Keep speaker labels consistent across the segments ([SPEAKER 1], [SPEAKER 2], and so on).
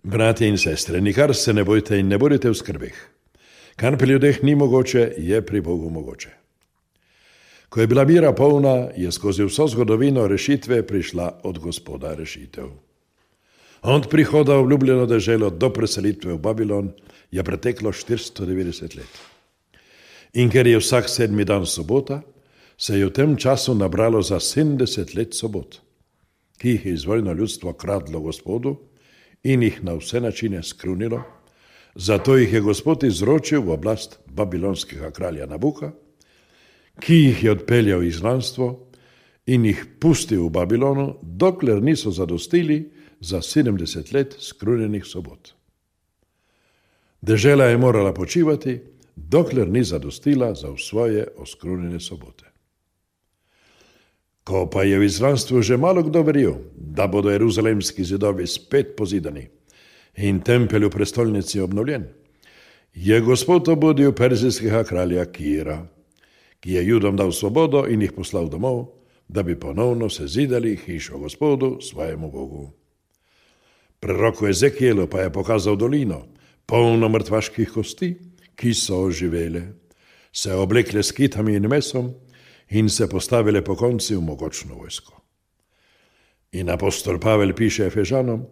[SPEAKER 1] Bratje in sestre, nikar se ne bojte in ne bodite v skrbeh. Kar pri ljudeh ni mogoče, je pri Bogu mogoče. Ko je bila mira polna, je skozi vso zgodovino rešitve prišla od Gospoda rešitev. Od prihoda v obljubljeno deželo do preselitve v Babilon je preteklo 490 let. In ker je vsak 7. dan sobota, se je v tem času nabralo za 70 let sobot, ki jih je izvoljeno ljudstvo kradlo Gospodu in jih na vse načine skrunilo, zato jih je Gospod izročil v oblast babilonskega kralja Nabuka, ki jih je odpeljal v izgnanstvo in jih pustil v Babilonu, dokler niso zadostili za 70 let skrunjenih sobot. Dežela je morala počivati, dokler ni zadostila za svoje oskrunjene sobote. Ko pa je v izgnanstvu že malo kdo verjel, da bodo jeruzalemski zidovi spet pozidani in tempelj v prestolnici obnovljen, je Gospod obudil perzijskega kralja Kira, ki je Judom dal svobodo in jih poslal domov, da bi ponovno sezidali hišo Gospodu, svojemu Bogu. Proroku Ezekielu pa je pokazal dolino, polno mrtvaških kosti, ki so oživele, se oblekle s kitami in mesom in se postavile po konci v mogočno vojsko. In apostol Pavel piše Efežanom,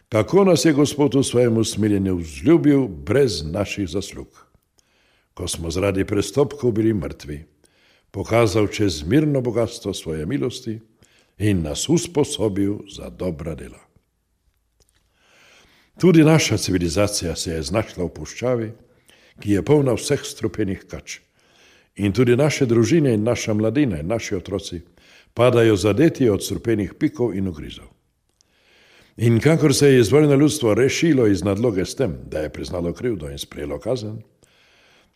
[SPEAKER 1] kako nas je Gospod v svojem usmiljenju vzljubil brez naših zaslug. Ko smo zaradi prestopkov bili mrtvi, pokazal čezmirno bogatstvo svoje milosti in nas usposobil za dobra dela. Tudi naša civilizacija se je znašla v puščavi, ki je polna vseh strupenih kač. In tudi naše družine in naša mladina in naši otroci padajo zadeti od strupenih pikov in ugrizov. In kakor se je izvoljeno ljudstvo rešilo iz nadloge s tem, da je priznalo krivdo in sprejelo kazen,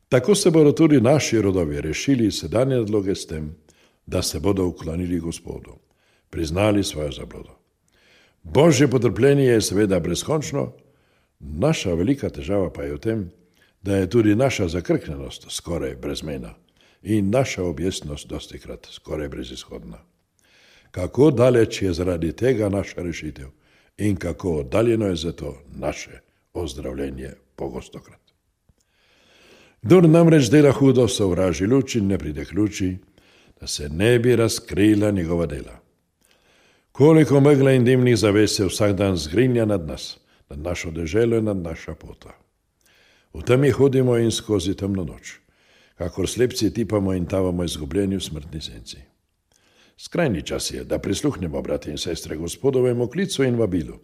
[SPEAKER 1] tako se bodo tudi naši rodovi rešili iz sedanje nadloge s tem, da se bodo uklonili Gospodu, priznali svojo zablodo. Božje potrpljenje je seveda brezkončno, naša velika težava pa je v tem, da je tudi naša zakrknjenost skoraj brezmejna in naša objestnost dostikrat skoraj brezizhodna. Kako daleč je zaradi tega naša rešitev in kako oddaljeno je zato naše ozdravljenje pogostokrat. Kdor namreč dela hudo, sovraži luč in ne pride k luči, da se ne bi razkrila njegova dela. Koliko megle in dimnih zaves se vsak dan zgrinja nad nas, nad našo deželo in nad naša pota. V temi hodimo in skozi temno noč, kakor slepci tipamo in tavamo izgubljeni v smrtni senci. Skrajni čas je, da prisluhnemo, brati in sestre, Gospodovemu klicu in vabilu.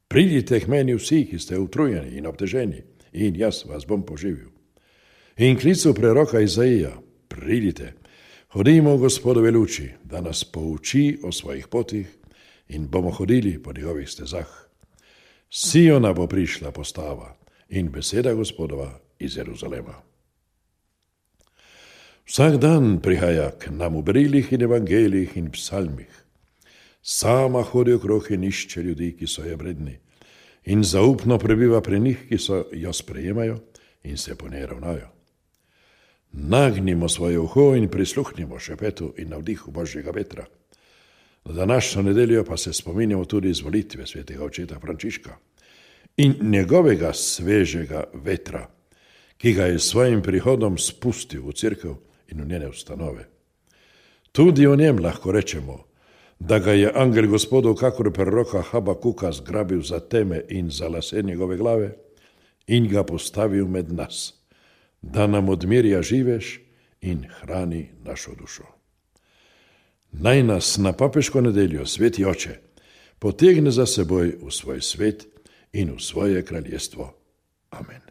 [SPEAKER 1] Pridite k meni vsi, ki ste utrujeni in obteženi, in jaz vas bom poživil. In klicu preroka Izaija, pridite, hodimo v Gospodove luči, da nas pouči o svojih potih in bomo hodili po njegovih stezah. Siona bo prišla postava in beseda Gospodova iz Jeruzalema. Vsak dan prihaja k nam v brilih in evangelijih in psalmih. Sama hodi okrog in išče ljudi, ki so je vredni, in zaupno prebiva pri njih, ki so jo sprejemajo in se po njej ravnajo. Nagnimo svoje uho in prisluhnimo šepetu in navdihu Božjega vetra. Na današnjo nedeljo pa se spominjamo tudi izvolitve svetega očeta Frančiška in njegovega svežega vetra, ki ga je s svojim prihodom spustil v cerkev in v njene ustanove. Tudi o njem lahko rečemo, da ga je angel Gospodov kakor proroka Habakuka zgrabil za teme in za lase njegove glave in ga postavil med nas, da nam odmirja živež in hrani našo dušo. Naj nas na papeško nedeljo sveti oče potegne za seboj v svoj svet in v svoje kraljestvo. Amen.